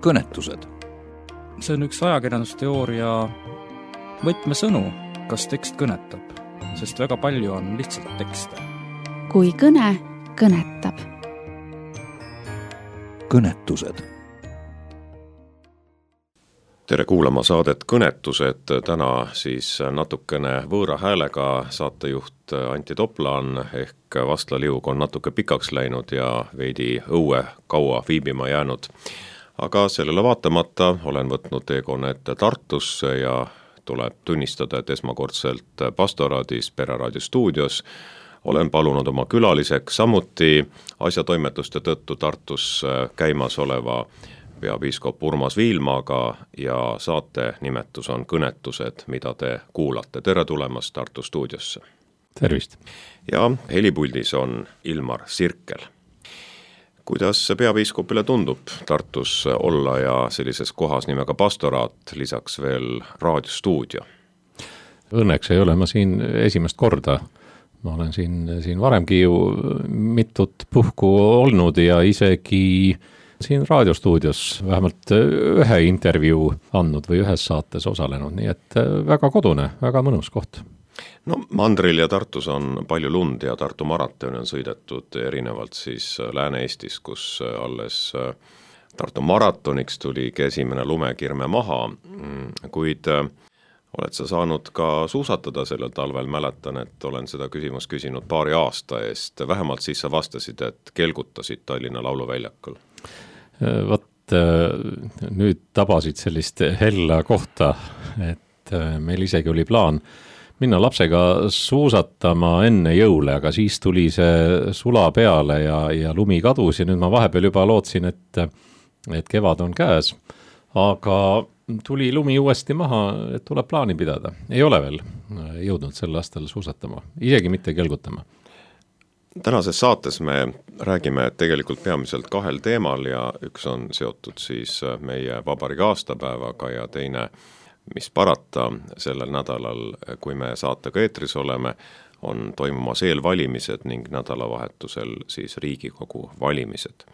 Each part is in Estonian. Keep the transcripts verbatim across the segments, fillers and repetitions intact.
kõnetused. See on üks ajakirjandusteooria võtmesõnu, kas tekst kõnetab, sest väga palju on lihtsalt tekste. Kui kõne kõnetab. Kõnetused. Tere kuulama saadet Kõnetused, täna siis natukene võõra häälega saatejuht Antti Toplan ehk Vastla Liug on natuke pikaks läinud ja veidi õue kaua viibima jäänud. Aga sellele vaatamata olen võtnud teekonnet Tartusse ja tuleb tunnistada, et esmakordselt Pastoraadis Pereraadio stuudios olen palunud oma külaliseks samuti asjatoimetuste tõttu Tartus käimas oleva peapiiskop Urmas Viilmaga ja saate nimetus on Kõnetused, mida te kuulate. Tere tulemast Tartu stuudiosse. Tervist. Ja helipuldis on Ilmar Sirkel. Kuidas peapiiskopile tundub Tartus olla ja sellises kohas nimega Pastoraat, lisaks veel raadiostuudio? Õnneks ei ole ma siin esimest korda. Ma olen siin, siin varemgi ju mitut puhku olnud ja isegi siin raadiostuudios vähemalt ühe intervjuu andnud või ühes saates osalenud, nii et väga kodune, väga mõnus koht. No Mandril ja Tartus on palju lund ja Tartu maratoni on sõidetud erinevalt siis Lääne-Eestis, kus alles Tartu maratoniks tuligi esimene lumekirme maha, kuid oled sa saanud ka suusatada sellel talvel, mäletan, et olen seda küsimust küsinud paari aasta eest, vähemalt siis sa vastasid, et kelgutasid Tallinna lauluväljakul. Vot nüüd tabasid sellist hella kohta, et meil isegi oli plaan minna lapsega suusatama enne jõule, aga siis tuli see sula peale ja, ja lumi kadus ja nüüd ma vahepeal juba lootsin, et, et kevad on käes, aga tuli lumi uuesti maha, et tuleb plaani pidada. Ei ole veel jõudnud sel aastal suusatama, isegi mitte kelgutama. Tänases saates me räägime tegelikult peamiselt kahel teemal ja üks on seotud siis meie vabariigi aastapäevaga ja teine, mis parata sellel nädalal, kui me saatega eetris oleme, on toimumas eelvalimised ning nädalavahetusel siis Riigikogu valimised.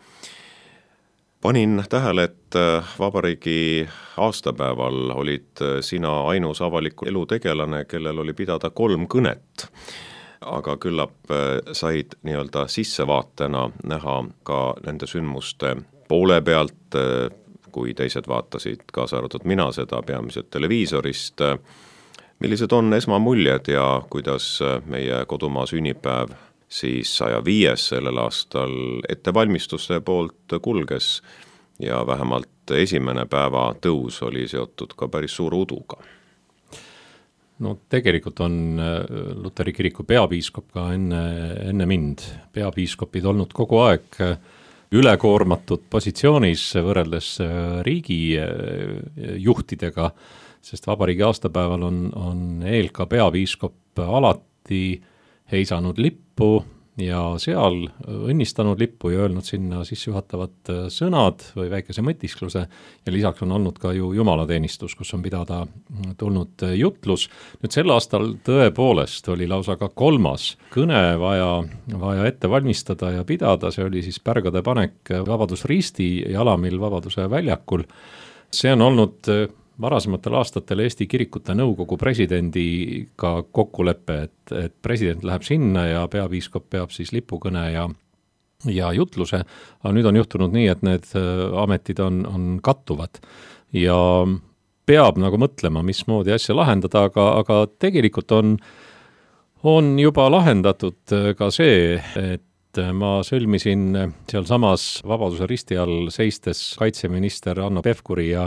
Panin tähele, et vabariigi aastapäeval olid sina ainus avaliku elu tegelane, kellel oli pidada kolm kõnet. Aga küllap said nii-öelda sissevaatena näha ka nende sündmuste poole pealt, kui teised vaatasid kaasa arvatud mina seda peamiselt televiisorist. Millised on esmamuljed ja kuidas meie kodumaa sünnipäev siis saja viies sellel aastal ettevalmistuste poolt kulges ja vähemalt esimene päeva tõus oli seotud ka päris suur uduga? No tegelikult on Luteri kiriku peapiiskop ka enne, enne mind. Peapiiskopid olnud kogu aeg ülekoormatud positsioonis võrreldes riigi juhtidega, sest vabariigi aastapäeval on, on E L K peapiiskop alati heisanud lippu ja seal õnnistanud lippu ja öelnud sinna sissejuhatavad sõnad või väikese mõtiskluse ja lisaks on olnud ka ju jumalateenistus, kus on pidada tulnud jutlus. Nüüd sel aastal tõepoolest oli lausa ka kolmas kõne vaja, vaja ette valmistada ja pidada, see oli siis pärgade panek Vabadusristi jalamil Vabaduse väljakul. See on olnud varasematel aastatel Eesti kirikute nõukogu presidendiga kokkulepe, et, et president läheb sinna ja peapiiskop peab siis lipukõne ja, ja jutluse, aga nüüd on juhtunud nii, et need ametid on, on kattuvad ja peab nagu mõtlema, mismoodi asja lahendada, aga, aga tegelikult on, on juba lahendatud ka see, et ma sõlmisin seal samas Vabaduse risti all seistes kaitseminister Hanno Pevkuri ja,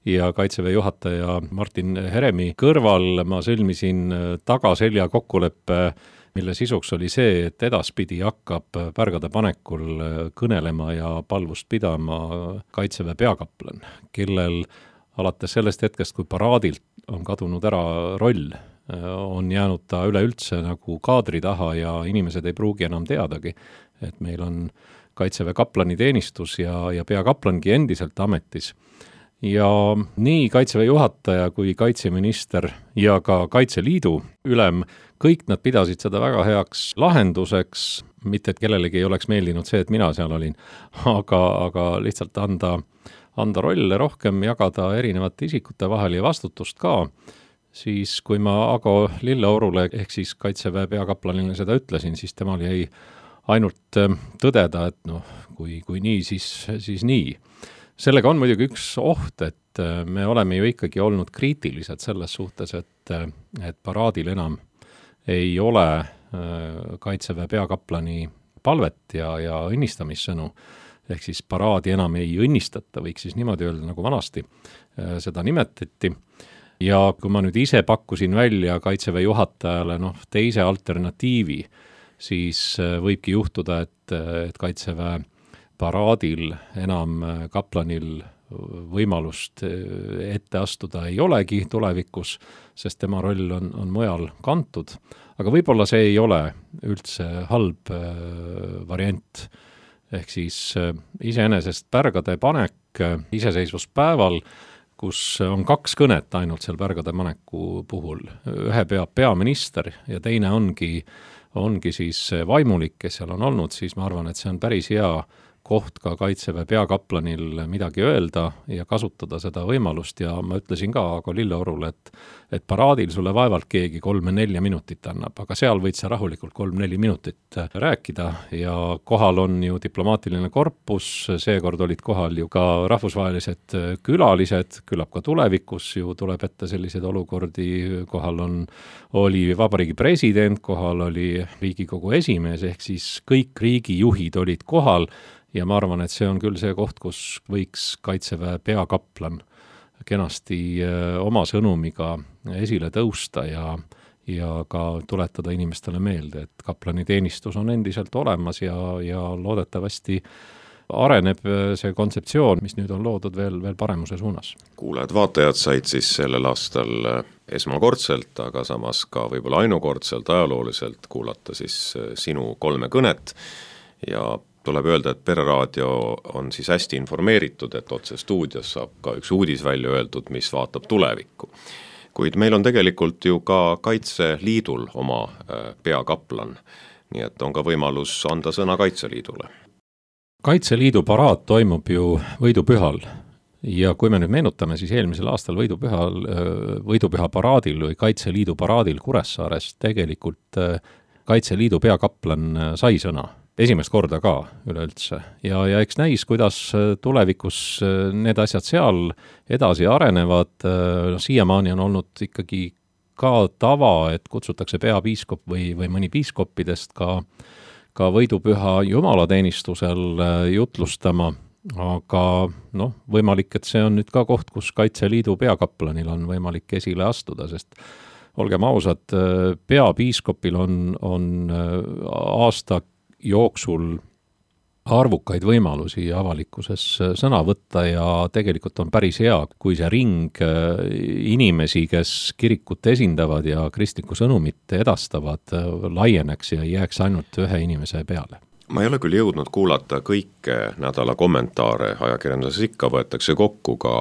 ja kaitseväe juhataja Martin Heremi kõrval. Ma sõlmisin tagaselja kokkuleppe, mille sisuks oli see, et edaspidi hakkab pärgade panekul kõnelema ja palvust pidama kaitseväe peakaplan, kellel alates sellest hetkest, kui paraadilt on kadunud ära roll, on jäänud ta üleüldse nagu kaadri taha ja inimesed ei pruugi enam teadagi, et meil on kaitseväe kaplani teenistus ja, ja peakaplangi endiselt ametis. ja nii Kaitseväe juhataja kui kaitseminister ja ka Kaitseliidu ülem, kõik nad pidasid seda väga heaks lahenduseks, mitte et kellelegi ei oleks meeldinud see, et mina seal olin, aga, aga lihtsalt anda, anda rolle rohkem, jagada erinevate isikute vahel ja vastutust ka. Siis kui ma Ago Lilleorule ehk siis Kaitseväe peakaplanile seda ütlesin, siis temal jäi ainult tõdeda, et noh, kui, kui nii, siis, siis nii. Sellega on muidugi üks oht, et me oleme ju ikkagi olnud kriitilised selles suhtes, et, et paraadil enam ei ole Kaitseväe peakaplani palvet ja, ja õnnistamissõnu, ehk siis paraadi enam ei õnnistata, võiks siis niimoodi öelda, nagu vanasti seda nimetati. Ja kui ma nüüd ise pakkusin välja Kaitseväe juhatajale noh, teise alternatiivi, siis võibki juhtuda, et, et Kaitseväe paraadil enam kaplanil võimalust ette astuda ei olegi tulevikus, sest tema roll on, on mujal kantud. Aga võib-olla see ei ole üldse halb variant. Ehk siis iseenesest pärgade panek iseseisvuspäeval, kus on kaks kõnet ainult seal pärgade paneku puhul. Ühe peab peaminister ja teine ongi, ongi siis vaimulik, kes seal on olnud, siis ma arvan, et see on päris hea koht ka Kaitseväe peakaplanil midagi öelda ja kasutada seda võimalust ja ma ütlesin ka Ago Lilleorule, et, et paraadil sulle vaevalt keegi kolme-nelja minutit annab, aga seal võid sa rahulikult kolm-neli minutit rääkida ja kohal on ju diplomaatiline korpus, seekord olid kohal ju ka rahvusvahelised külalised, küllap ka tulevikus ju tuleb ette selliseid olukordi, kohal on, oli vabariigi president, kohal oli Riigikogu esimees, ehk siis kõik riigijuhid olid kohal ja ma arvan, et see on küll see koht, kus võiks Kaitseväe peakaplan kenasti oma sõnumiga esile tõusta ja, ja ka tuletada inimestele meelde, et kaplani teenistus on endiselt olemas ja, ja loodetavasti areneb see kontseptsioon, mis nüüd on loodud veel, veel paremuse suunas. Kuulajad, vaatajad said siis sellel aastal esmakordselt, aga samas ka võib-olla ainukordselt ajalooliselt kuulata siis sinu kolme kõnet ja tuleb öelda, et Pereraadio on siis hästi informeeritud, et otse stuudios saab ka üks uudis välja öeldud, mis vaatab tulevikku. Kuid meil on tegelikult ju ka Kaitseliidul oma peakaplan, nii et on ka võimalus anda sõna Kaitseliidule. Kaitseliidu paraad toimub ju võidupühal ja kui me nüüd meenutame, siis eelmisel aastal võidupühal, võidupüha paraadil või Kaitseliidu paraadil Kuressaares tegelikult Kaitseliidu peakaplan sai sõna. Esimest korda ka üleüldse ja, ja eks näis, kuidas tulevikus need asjad seal edasi arenevad. No, siiamaani on olnud ikkagi ka tava, et kutsutakse peapiiskop või, või mõni piiskoppidest ka, ka võidupüha jumalateenistusel jutlustama, aga noh, võimalik, et see on nüüd ka koht, kus Kaitseliidu peakaplanil on võimalik esile astuda, sest olgem ausad, peapiiskopil on, on aasta jooksul arvukaid võimalusi avalikkuses sõna võtta ja tegelikult on päris hea, kui see ring inimesi, kes kirikut esindavad ja kristlikku sõnumit edastavad, laieneks ja jääks ainult ühe inimese peale. Ma ei ole küll jõudnud kuulata kõike nädala kommentaare, ajakirjanduses ikka võetakse kokku ka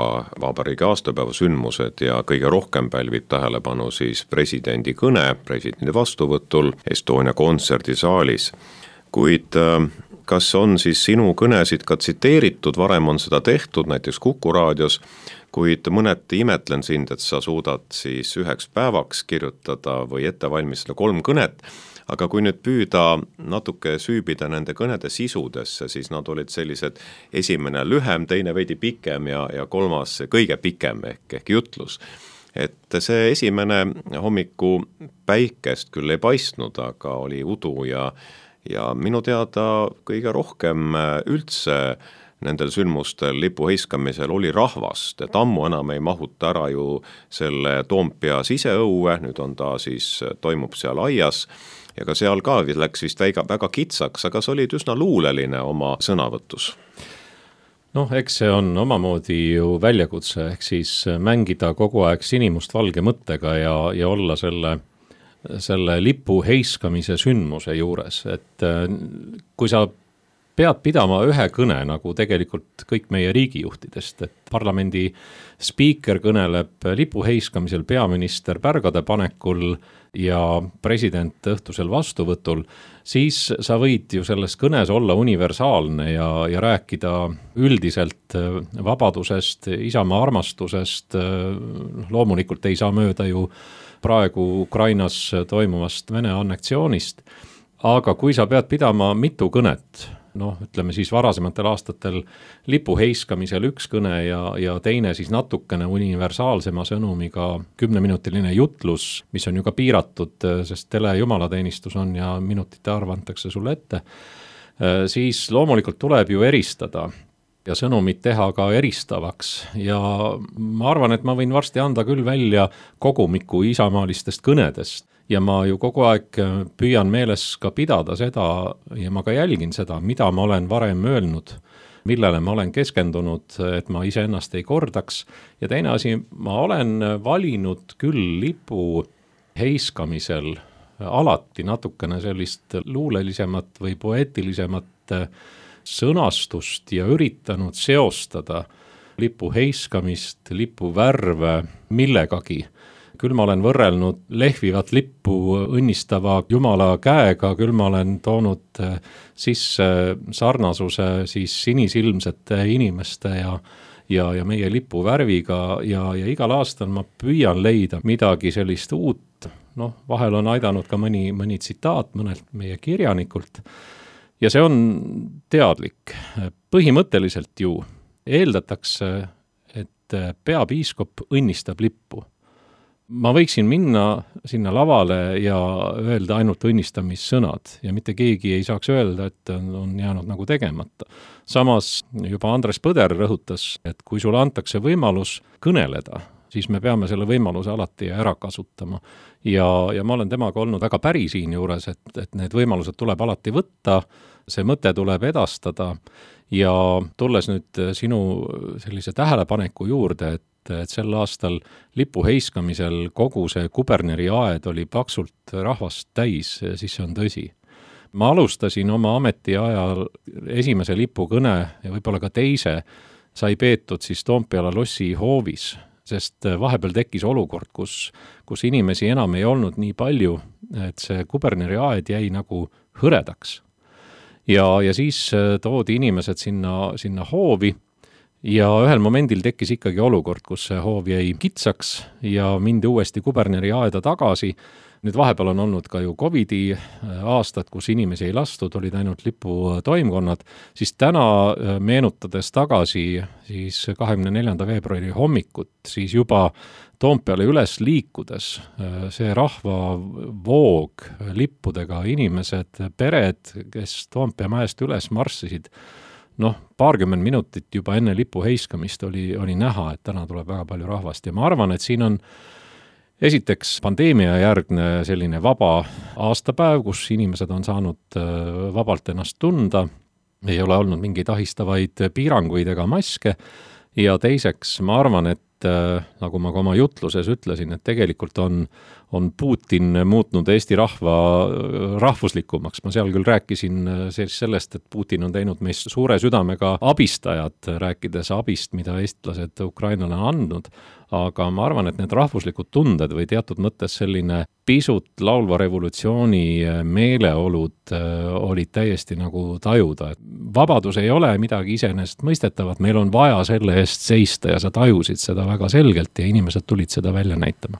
vabariigi aastapäeva sündmused ja kõige rohkem pälvib tähelepanu siis presidendi kõne presidendi vastuvõtul Estonia kontserdisaalis. Kuid kas on siis sinu kõnesid ka tsiteeritud, varem on seda tehtud, näiteks Kuku raadios, kuid mõneti imetlen sind, et sa suudad siis üheks päevaks kirjutada või ette valmistada kolm kõnet, aga kui nüüd püüda natuke süübida nende kõnede sisudesse, siis nad olid sellised esimene lühem, teine veidi pikem ja, ja kolmas kõige pikem ehk, ehk jutlus. Et see esimene hommiku päikest küll ei paistnud, aga oli udu ja Ja minu teada kõige rohkem üldse nendel sündmustel lipu heiskamisel oli rahvast, et ammu enam ei mahuta ära ju selle Toompea siseõue, nüüd on ta siis, toimub seal aias ja ka seal ka läks vist väga, väga kitsaks, aga sa olid üsna luuleline oma sõnavõtus. Noh, eks see on omamoodi ju väljakutse, ehk siis mängida kogu aeg sinimust valge mõttega ja, ja olla selle selle lipu heiskamise sündmuse juures, et kui sa pead pidama ühe kõne, nagu tegelikult kõik meie riigijuhtidest, et parlamendi spiiker kõneleb lipu heiskamisel, peaminister pärgade panekul ja president õhtusel vastuvõtul, siis sa võid ju selles kõnes olla universaalne ja, ja rääkida üldiselt vabadusest, isamaa armastusest, loomulikult ei saa mööda ju praegu Ukrainas toimuvast Vene anneksioonist, aga kui sa pead pidama mitu kõnet, noh, ütleme siis varasematel aastatel lipu heiskamisel üks kõne ja, ja teine siis natukene universaalsema sõnumiga kümneminutiline jutlus, mis on ju ka piiratud, sest telejumalateenistus on ja minutite arv antakse sulle ette, siis loomulikult tuleb ju eristada ja sõnumit teha ka eristavaks ja ma arvan, et ma võin varsti anda küll välja kogumiku isamaalistest kõnedest. Ja ma ju kogu aeg püüan meeles ka pidada seda ja ma ka jälgin seda, mida ma olen varem öelnud, millele ma olen keskendunud, et ma iseennast ei kordaks. Ja teine asi, ma olen valinud küll lipu heiskamisel alati natukene sellist luulelisemat või poeetilisemat sõnastust ja üritanud seostada lipu heiskamist, lipu värve millegagi. Küll ma olen võrrelnud lehvivat lippu õnnistava Jumala käega, küll ma olen toonud sisse sarnasuse siis sinisilmsete inimeste ja, ja, ja meie lipu värviga ja, ja igal aastal ma püüan leida midagi sellist uut. Noh, vahel on aidanud ka mõni, mõni tsitaat mõnelt meie kirjanikult ja see on teadlik. Põhimõtteliselt ju eeldatakse, et peapiiskop õnnistab lippu. Ma võiksin minna sinna lavale ja öelda ainult õnnistamissõnad ja mitte keegi ei saaks öelda, et on jäänud nagu tegemata. Samas juba Andres Põder rõhutas, et kui sulle antakse võimalus kõneleda, siis me peame selle võimaluse alati ära kasutama. Ja, ja ma olen temaga olnud väga päri siin juures, et, et need võimalused tuleb alati võtta, see mõte tuleb edastada ja tulles nüüd sinu sellise tähelepaneku juurde, et et sel aastal lipu heiskamisel kogu see Kuberneri aed oli paksult rahvast täis, siis see on tõsi. Ma alustasin oma ametiajal esimese lipukõne ja võib-olla ka teise sai peetud siis Toompeala lossi hoovis, sest vahepeal tekkis olukord, kus, kus inimesi enam ei olnud nii palju, et see Kuberneri aed jäi nagu hõredaks. Ja, ja siis toodi inimesed sinna, sinna hoovi, ja ühel momendil tekkis ikkagi olukord, kus see hoov jäi kitsaks ja mindi uuesti Kuberneri aeda tagasi. Nüüd vahepeal on olnud ka ju Covidi aastad, kus inimesi ei lastud, olid ainult lipu toimkonnad, siis täna meenutades tagasi siis kahekümne neljanda veebruari hommikut, siis juba Toompeale üles liikudes see rahva voog lippudega inimesed, pered, kes Toompea mäest üles marssisid, noh, paarkümmend minutit juba enne lipu heiskamist oli, oli näha, et täna tuleb väga palju rahvast ja ma arvan, et siin on esiteks pandeemia järgne selline vaba aastapäev, kus inimesed on saanud vabalt ennast tunda, ei ole olnud mingeid ahistavaid piiranguid ega maske ja teiseks ma arvan, et nagu ma ka oma jutluses ütlesin, et tegelikult on, on Putin muutnud Eesti rahva rahvuslikumaks. Ma seal küll rääkisin sellest, et Putin on teinud meist suure südamega abistajad, rääkides abist, mida eestlased Ukrainale on andnud, aga ma arvan, et need rahvuslikud tunded või teatud mõttes selline pisut laulva revolutsiooni meeleolud olid täiesti nagu tajuda. Vabadus ei ole midagi iseenesest mõistetavat, meil on vaja selle eest seista ja sa tajusid seda väga selgelt ja inimesed tulid seda välja näitama.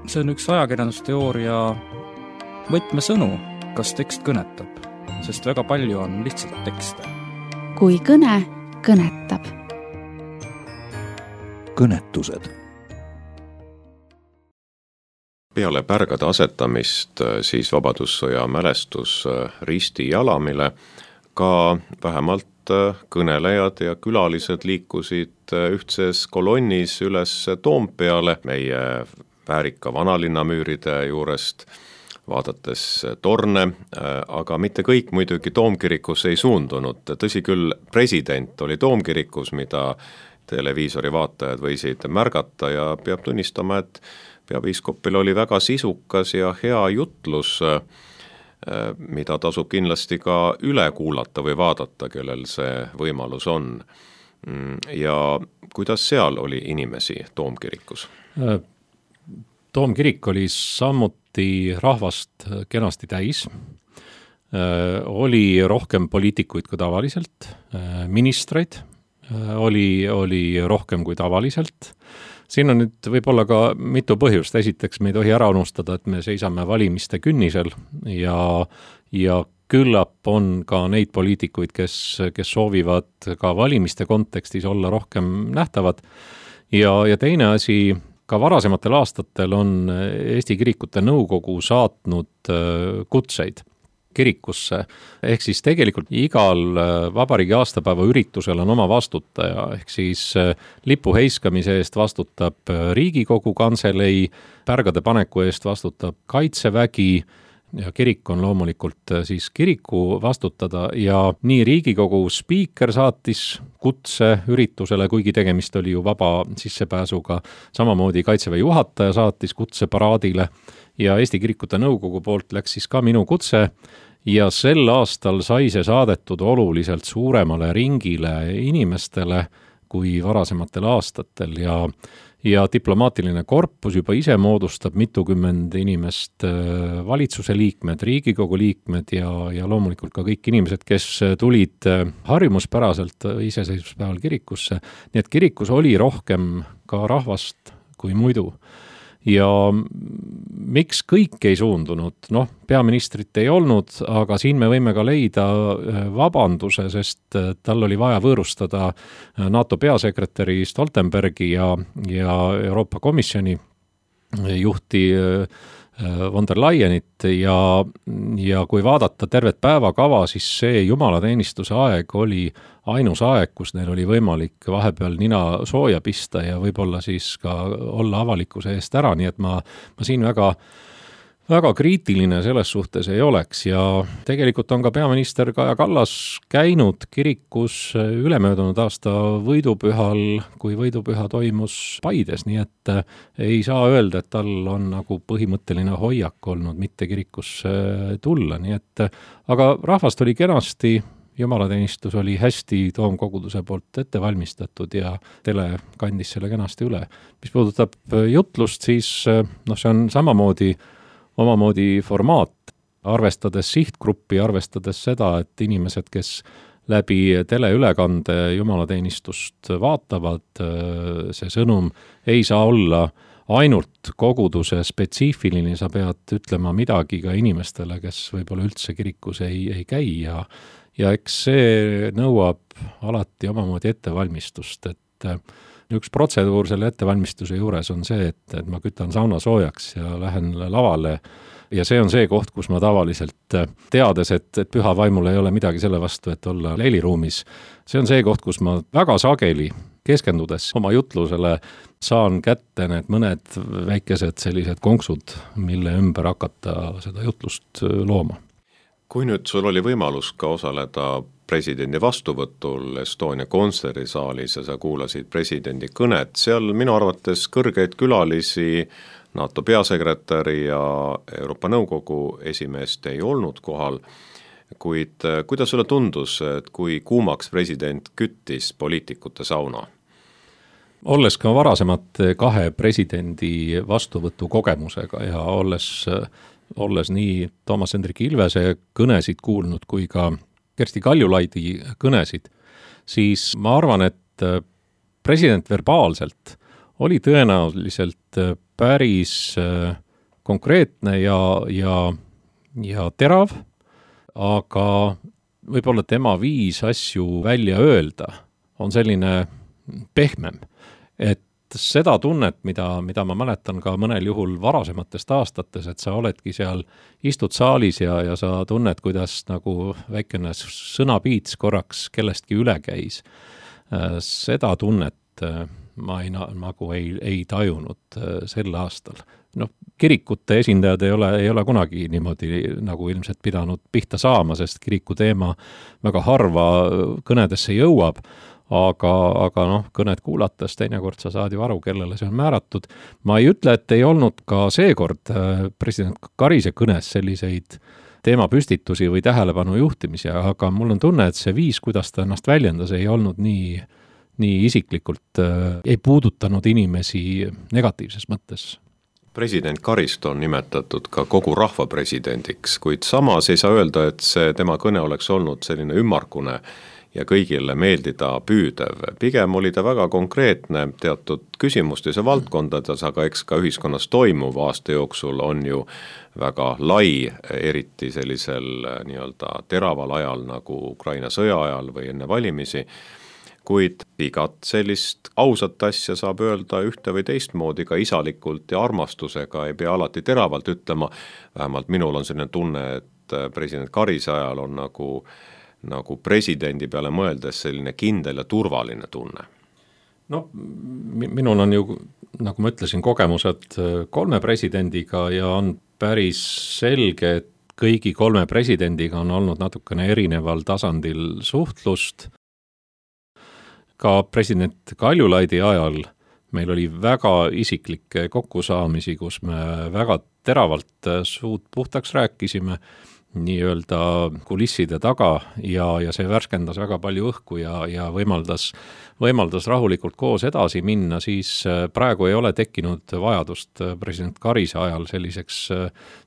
See on üks ajakirjandusteooria võtmesõnu, kas tekst kõnetab, sest väga palju on lihtsalt tekste. Kui kõne kõnetab. Kõnetused. Peale pärgade asetamist siis Vabadussõja mälestus risti jalamile ka vähemalt kõnelejad ja külalised liikusid ühtses kolonnis üles Toompeale meie väärika vanalinnamüüride juurest, vaadates torne, aga mitte kõik muidugi Toomkirikus ei suundunud. Tõsi küll, president oli Toomkirikus, mida televiisori vaatajad võisid märgata ja peab tunnistama, et peapiiskopil oli väga sisukas ja hea jutlus. mida tasub kindlasti ka üle kuulata või vaadata, kellel see võimalus on. Ja kuidas seal oli inimesi Toomkirikus? Toomkirik oli samuti rahvast kenasti täis, oli rohkem poliitikuid kui tavaliselt, ministreid oli, oli rohkem kui tavaliselt. Siin on nüüd võib-olla ka mitu põhjust. Esiteks me ei tohi ära unustada, et me seisame valimiste künnisel ja, ja küllap on ka neid poliitikuid, kes, kes soovivad ka valimiste kontekstis olla rohkem nähtavad. Ja, ja teine asi, ka varasematel aastatel on Eesti Kirikute Nõukogu saatnud kutseid kirikusse, ehk siis tegelikult igal vabariigi aastapäeva üritusel on oma vastutaja, ehk siis lipu heiskamise eest vastutab Riigikogu Kantselei, pärgade paneku eest vastutab Kaitsevägi ja kirik on loomulikult siis kiriku vastutada ja nii Riigikogu spiiker saatis kutse üritusele, kuigi tegemist oli ju vaba sissepääsuga, samamoodi Kaitseväe juhataja saatis kutse paraadile ja Eesti Kirikute Nõukogu poolt läks siis ka minu kutse ja sel aastal sai see saadetud oluliselt suuremale ringile inimestele kui varasematel aastatel ja ja diplomaatiline korpus juba ise moodustab mitukümmend inimest, valitsuse liikmed, Riigikogu liikmed ja, ja loomulikult ka kõik inimesed, kes tulid harjumuspäraselt iseseisvuspäeval kirikusse. Nii et kirikus oli rohkem ka rahvast kui muidu. Ja miks kõik ei suundunud? Noh, peaministrit ei olnud, aga siin me võime ka leida vabanduse, sest tal oli vaja võõrustada NATO peasekretäri Stoltenbergi ja, ja Euroopa Komisjoni juhti von der Leyenit ja, ja kui vaadata tervet päevakava, siis see jumalateenistuse aeg oli ainus aeg, kus neil oli võimalik vahepeal nina sooja pista ja võib-olla siis ka olla avalikkuse eest ära, nii et ma, ma siin väga, väga kriitiline selles suhtes ei oleks ja tegelikult on ka peaminister Kaja Kallas käinud kirikus ülemöödunud aasta võidupühal, kui võidupüha toimus Paides, nii et ei saa öelda, et tal on nagu põhimõtteline hoiak olnud mitte kirikusse tulla, nii et aga rahvast oli kenasti, jumalateenistus oli hästi Toomkoguduse poolt ette valmistatud ja tele kandis selle kenasti üle. Mis puudutab jutlust, siis noh, see on samamoodi omamoodi formaat, arvestades sihtgruppi, arvestades seda, et inimesed, kes läbi teleülekande jumalateenistust vaatavad, see sõnum ei saa olla ainult koguduse spetsiifiline, sa pead ütlema midagi ka inimestele, kes võib-olla üldse kirikus ei, ei käi ja ja eks see nõuab alati omamoodi ettevalmistust, et üks protseduur selle ettevalmistuse juures on see, et, et ma kütan sauna soojaks ja lähen lavale ja see on see koht, kus ma tavaliselt teades, et, et püha vaimul ei ole midagi selle vastu, et olla leiliruumis. See on see koht, kus ma väga sageli keskendudes oma jutlusele saan kätte need mõned väikesed sellised konksud, mille ümber hakata seda jutlust looma. Kui nüüd sul oli võimalus ka osaleda presidendi vastuvõtul Estonia kontsertisaalis ja sa kuulasid presidendi kõnet, seal minu arvates kõrgeid külalisi, NATO peasekretäri ja Euroopa Nõukogu esimeest ei olnud kohal, kuid kuidas sulle tundus, et kui kuumaks president küttis poliitikute sauna? Olles ka varasemate kahe presidendi vastuvõtu kogemusega ja olles olles nii Toomas Hendrik Ilvese kõnesid kuulnud kui ka Kersti Kaljulaidi kõnesid, siis ma arvan, et president verbaalselt oli tõenäoliselt päris konkreetne ja, ja, ja terav, aga võib-olla tema viis asju välja öelda on selline pehmem, et seda tunnet, mida, mida ma mäletan ka mõnel juhul varasematest aastates, et sa oledki seal, istud saalis ja, ja sa tunned, kuidas nagu väikene sõnapiits korraks kellestki üle käis. Seda tunnet ma ei, nagu ei, ei tajunud sel aastal. No, kirikute esindajad ei ole, ei ole kunagi niimoodi nagu ilmselt pidanud pihta saama, sest kiriku teema väga harva kõnedesse jõuab, aga, aga noh, kõned kuulates teinekord sa saad ju aru, kellele see on määratud. Ma ei ütle, et ei olnud ka seekord president Karise kõnes selliseid teemapüstitusi või tähelepanu juhtimisi, aga mul on tunne, et see viis, kuidas ta ennast väljendas, ei olnud nii, nii isiklikult, ei puudutanud inimesi negatiivses mõttes. President Karist on nimetatud ka kogu rahva presidendiks, kuid samas ei saa öelda, et see tema kõne oleks olnud selline ümmargune ja kõigile meeldida püüdev. Pigem oli ta väga konkreetne teatud küsimustes ja valdkondades, aga eks ka ühiskonnas toimuv aasta jooksul on ju väga lai, eriti sellisel nii-öelda teraval ajal nagu Ukraina sõja ajal või enne valimisi, kuid igat sellist ausat asja saab öelda ühte või teistmoodi ka isalikult ja armastusega, ei pea alati teravalt ütlema, vähemalt minul on selline tunne, et president Karise ajal on nagu nagu presidendi peale mõeldes selline kindel ja turvaline tunne? No minul on ju, nagu ma ütlesin, kogemused kolme presidendiga ja on päris selge, et kõigi kolme presidendiga on olnud natukene erineval tasandil suhtlust. Ka president Kaljulaidi ajal meil oli väga isiklikke kokkusaamisi, kus me väga teravalt suud puhtaks rääkisime, nii-öelda kulisside taga ja, ja see värskendas väga palju õhku ja, ja võimaldas, võimaldas rahulikult koos edasi minna, siis praegu ei ole tekkinud vajadust president Karise ajal selliseks,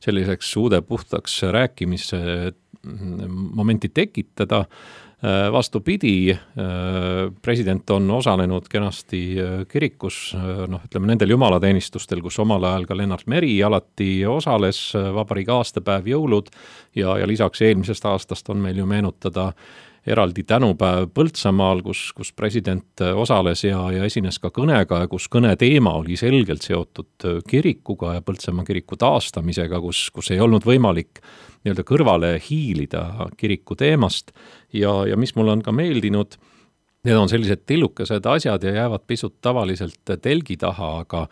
selliseks uude puhtaks rääkimise momenti tekitada. Vastupidi, president on osalenud kenasti kirikus, noh, ütleme nendel jumalateenistustel, kus omal ajal ka Lennart Meri alati osales, vabariigi aastapäev, jõulud ja, ja lisaks eelmisest aastast on meil ju meenutada eraldi tänupäev Põltsamaal, kus, kus president osales ja, ja esines ka kõnega, kus kõne teema oli selgelt seotud kirikuga ja Põltsamaa kiriku taastamisega, kus, kus ei olnud võimalik nii-öelda kõrvale hiilida kiriku teemast ja, ja mis mul on ka meeldinud, need on sellised tillukesed asjad ja jäävad pisut tavaliselt telgi taha, aga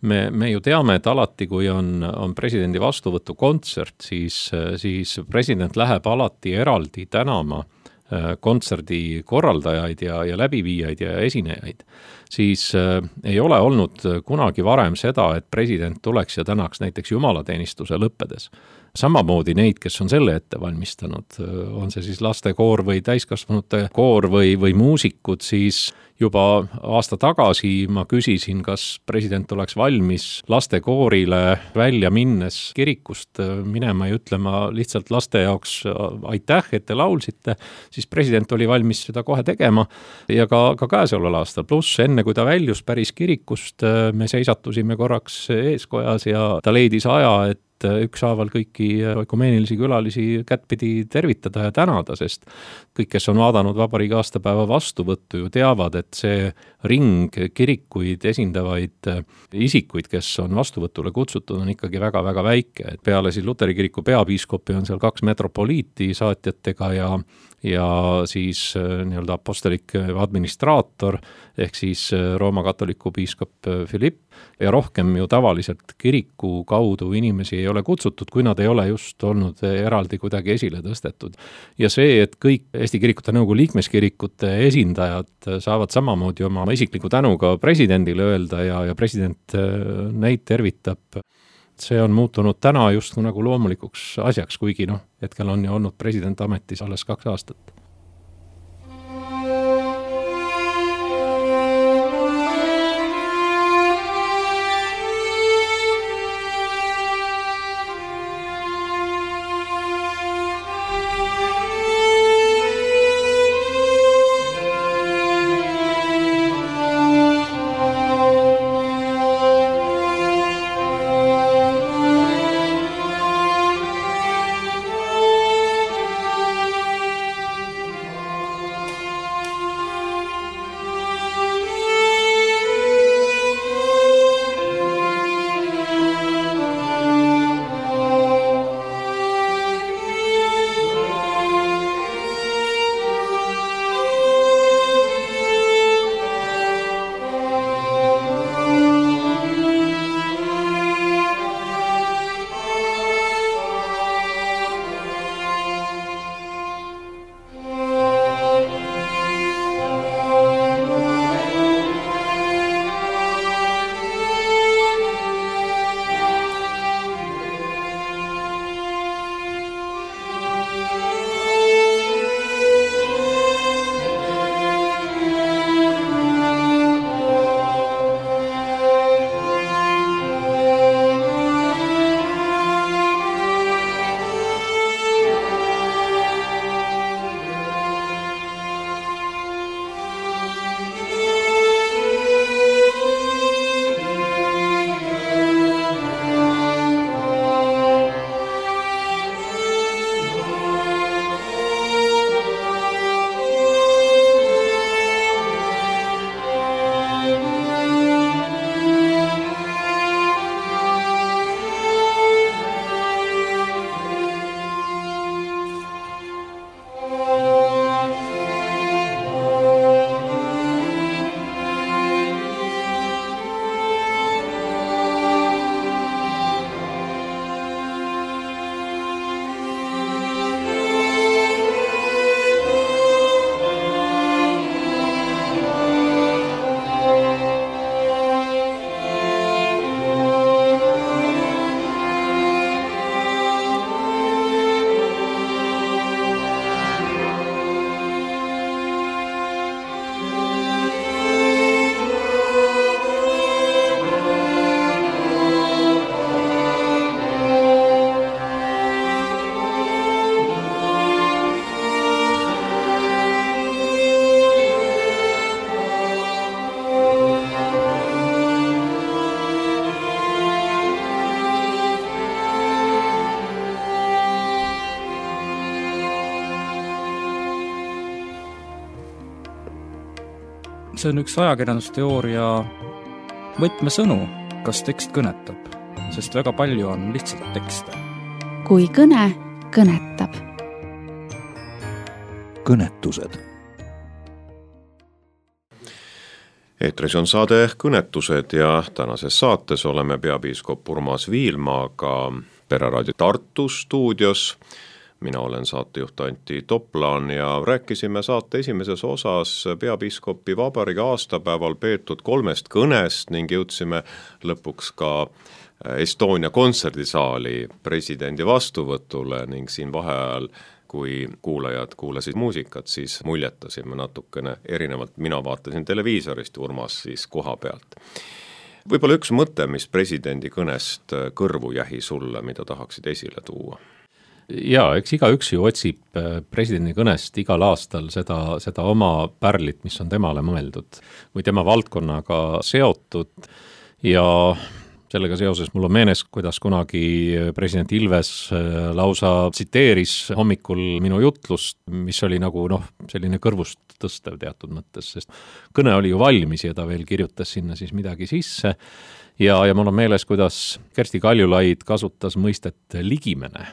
me, me ju teame, et alati, kui on, on presidendi vastuvõtu kontsert, siis, siis president läheb alati eraldi tänama kontserdi korraldajaid ja, ja läbiviijaid ja esinejaid, siis äh, ei ole olnud kunagi varem seda, et president tuleks ja tänaks näiteks jumalateenistuse lõppedes. Samamoodi neid, kes on selle ette valmistanud, on see siis lastekoor või täiskasvanute koor või, või muusikud, siis juba aasta tagasi ma küsisin, kas president oleks valmis lastekoorile välja minnes kirikust minema ja ütlema lihtsalt laste jaoks aitäh, et te laulsite, siis president oli valmis seda kohe tegema ja ka, ka käesoleval aastal. Pluss enne, kui ta väljus päris kirikust, me seisatusime korraks eeskojas ja ta leidis aja, et ükshaaval kõiki ökumeenilisi külalisi kättpidi tervitada ja tänada, sest kõik, kes on vaadanud vabariigi aastapäeva vastuvõttu, ju teavad, et see ring kirikuid esindavaid isikuid, kes on vastuvõtule kutsutud, on ikkagi väga-väga väike. Et peale siis Luteri kiriku peapiiskopi on seal kaks metropoliiti saatjatega ja ja siis nii-öelda apostolik administraator ehk siis Rooma katoliku piiskop Philipp ja rohkem ju tavaliselt kiriku kaudu inimesi ei ole kutsutud, kui nad ei ole just olnud eraldi kuidagi esile tõstetud. Ja see, et kõik Eesti Kirikute Nõukogu liikmeskirikute esindajad saavad samamoodi oma isikliku tänuga presidendile öelda ja, ja president neid tervitab, see on muutunud täna just nagu loomulikuks asjaks, kuigi noh, hetkel on ju olnud president ametis alles kaks aastat. see on üks ajakirjandusteooria võtmesõnu, kas tekst kõnetab, sest väga palju on lihtsalt tekste. Kui kõne kõnetab. Kõnetused. Eetris on saade Kõnetused ja tänases saates oleme peapiiskop Urmas Viilmaaga Pereraadio Tartu stuudios. Mina olen saatejuht Antti Toplan ja rääkisime saate esimeses osas peapiiskopi vabariigi aastapäeval peetud kolmest kõnest ning jõudsime lõpuks ka Estonia kontserdisaali presidendi vastuvõtule ning siin vaheajal, kui kuulajad kuulasid muusikat, siis muljetasime natukene erinevalt. Mina vaatasin televiisorist, Urmas siis koha pealt. Võib-olla üks mõte, mis presidendi kõnest kõrvu jähi sulle, mida tahaksid esile tuua? Jaa, eks iga üks ju otsib presidendi kõnest igal aastal seda, seda oma pärlit, mis on temale mõeldud või tema valdkonnaga seotud ja sellega seoses mul on meenes, kuidas kunagi president Ilves lausa tsiteeris hommikul minu jutlust, mis oli nagu noh, selline kõrvust tõstev teatud mõttes, sest kõne oli ju valmis ja ta veel kirjutas sinna siis midagi sisse ja, ja mul on meeles, kuidas Kersti Kaljulaid kasutas mõistet ligimene.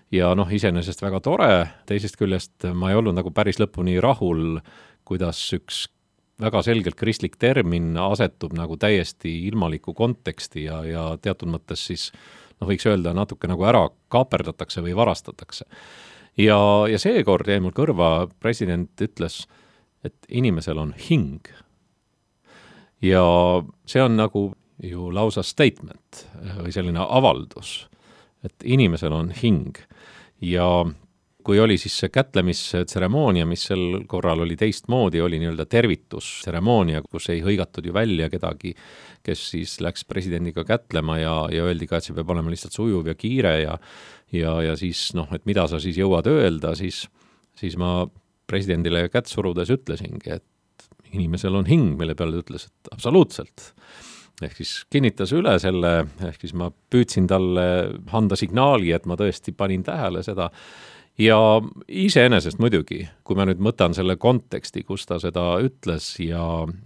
Ja noh, iseenesest väga tore, teisest küljest ma ei olnud nagu päris lõpuni rahul, kuidas üks väga selgelt kristlik termin asetub nagu täiesti ilmaliku konteksti ja, ja teatud mõttes siis, noh võiks öelda, natuke nagu ära kaaperdatakse või varastatakse. Ja, ja seekord jäi mul kõrva, president ütles, et inimesel on hing. Ja see on nagu ju lausa statement või selline avaldus, et inimesel on hing. Ja kui oli siis see kätlemistseremoonia, mis sel korral oli teistmoodi, oli nii-öelda tervitusteremoonia, kus ei hõigatud ju välja kedagi, kes siis läks presidendiga kätlema ja, ja öeldi ka, et see peab olema lihtsalt sujuv ja kiire ja, ja, ja siis noh, et mida sa siis jõuad öelda, siis, siis ma presidendile kätt surudes ütlesingi, et inimesel on hing, mille peale ütles, et absoluutselt. Ehk siis kinnitas üle selle, ehk siis ma püüdsin talle anda signaali, et ma tõesti panin tähele seda. Ja iseenesest muidugi, kui ma nüüd mõtan selle konteksti, kus ta seda ütles ja,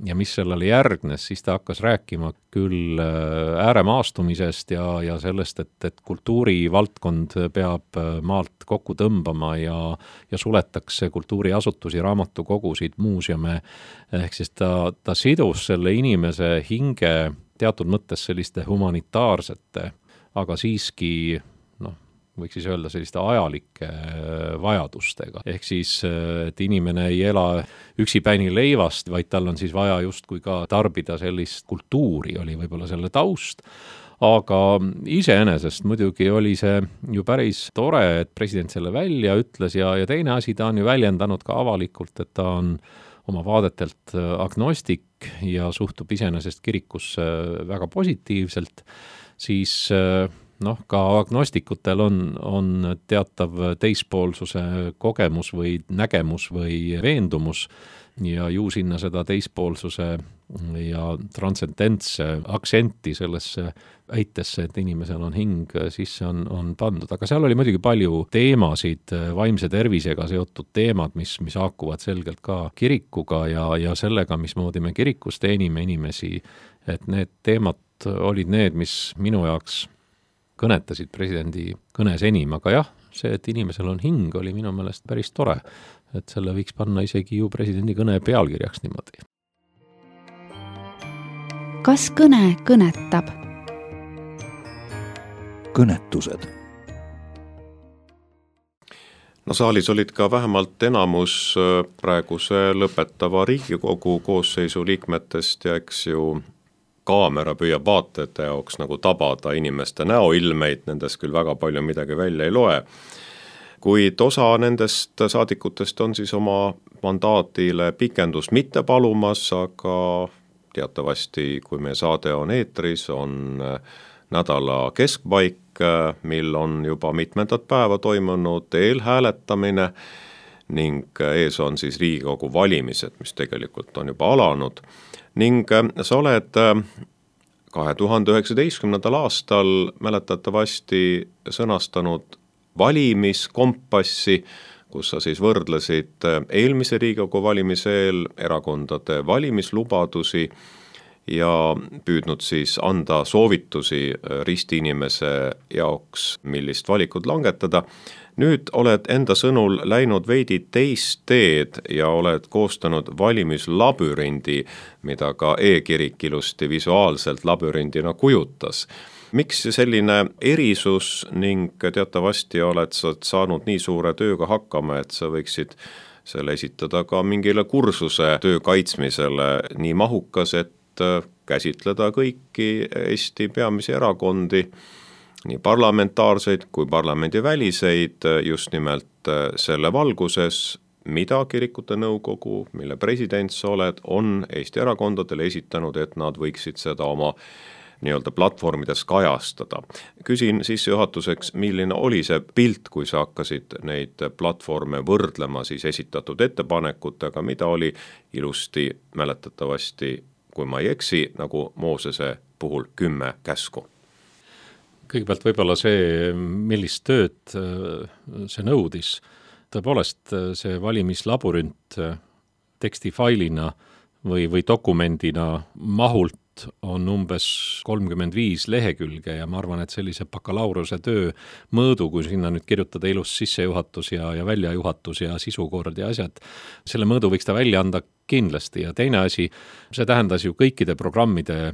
ja mis sellele järgnes, siis ta hakkas rääkima küll ääremaastumisest ja, ja sellest, et, et kultuurivaldkond peab maalt kokku tõmbama ja, ja suletakse kultuuriasutusi, raamatukogusid, muuseume. Ehk siis ta, ta sidus selle inimese hinge teatud mõttes selliste humanitaarsete, aga siiski võiks siis öelda selliste ajalike vajadustega. Ehk siis, et inimene ei ela üksipäini leivast, vaid tal on siis vaja justkui ka tarbida sellist kultuuri, oli võib-olla selle taust. Aga iseenesest muidugi oli see ju päris tore, et president selle välja ütles ja, ja teine asi, ta on ju väljendanud ka avalikult, et ta on oma vaadetelt agnostik ja suhtub iseenesest kirikusse väga positiivselt, siis noh, ka agnostikutel on, on teatav teispoolsuse kogemus või nägemus või veendumus ja ju sinna seda teispoolsuse ja transcendentse aktsenti sellesse väitesse, et inimesel on hing, sisse on, on pandud. Aga seal oli muidugi palju teemasid, vaimse tervisega seotud teemad, mis, mis haakuvad selgelt ka kirikuga ja, ja sellega, mismoodi me kirikus teenime inimesi, et need teemad olid need, mis minu jaoks kõnetasid presidendi kõnes enim, aga jah, see, et inimesel on hing, oli minu meelest päris tore, et selle võiks panna isegi ju presidendi kõne pealkirjaks niimoodi. Kas kõne kõnetab? Kõnetused. No saalis olid ka vähemalt enamus praeguse lõpetava Riigikogu koosseisu liikmetest ja eks ju kaamera püüab vaatajate jaoks nagu tabada inimeste näoilmeid, nendes küll väga palju midagi välja ei loe. Kuid osa nendest saadikutest on siis oma mandaatile pikendust mitte palumas, aga teatavasti, kui meie saade on eetris, on nädala keskpaik, mil on juba mitmendat päeva toimunud eelhääletamine ning ees on siis Riigikogu valimised, mis tegelikult on juba alanud. Ning sa oled kahe tuhande üheksateistkümnendal aastal mäletatavasti sõnastanud valimiskompassi, kus sa siis võrdlesid eelmise Riigikogu valimise eel erakondade valimislubadusi ja püüdnud siis anda soovitusi ristiinimese jaoks, millist valikut langetada. Nüüd oled enda sõnul läinud veidi teist teed ja oled koostanud valimislabürindi, mida ka e-kirik ilusti visuaalselt labürindina kujutas. Miks selline erisus ning teatavasti oled sa saanud nii suure tööga hakkama, et sa võiksid selle esitada ka mingile kursuse töö kaitsmisele nii mahukas, et käsitleda kõiki Eesti peamisi erakondi, nii parlamentaarseid kui parlamendiväliseid just nimelt selle valguses, mida kirikute nõukogu, mille president sa oled, on Eesti erakondadele esitanud, et nad võiksid seda oma nii-öelda platvormides kajastada. Küsin sissejuhatuseks, milline oli see pilt, kui sa hakkasid neid platvorme võrdlema siis esitatud ettepanekutega, mida oli ilusti mäletatavasti, kui ma ei eksi, nagu Moosese puhul kümme käsku. Kõigepealt võib-olla see, millist tööd see nõudis. Tõepoolest see valimislabürint tekstifailina või, või dokumendina mahult on umbes kolmkümmend viis lehekülge ja ma arvan, et sellise bakalaureuse töö mõõdu, kui sinna nüüd kirjutada ilus sissejuhatus ja, ja väljajuhatus ja sisukord ja asjad, selle mõõdu võiks ta välja anda kindlasti. Ja teine asi, see tähendas ju kõikide programmide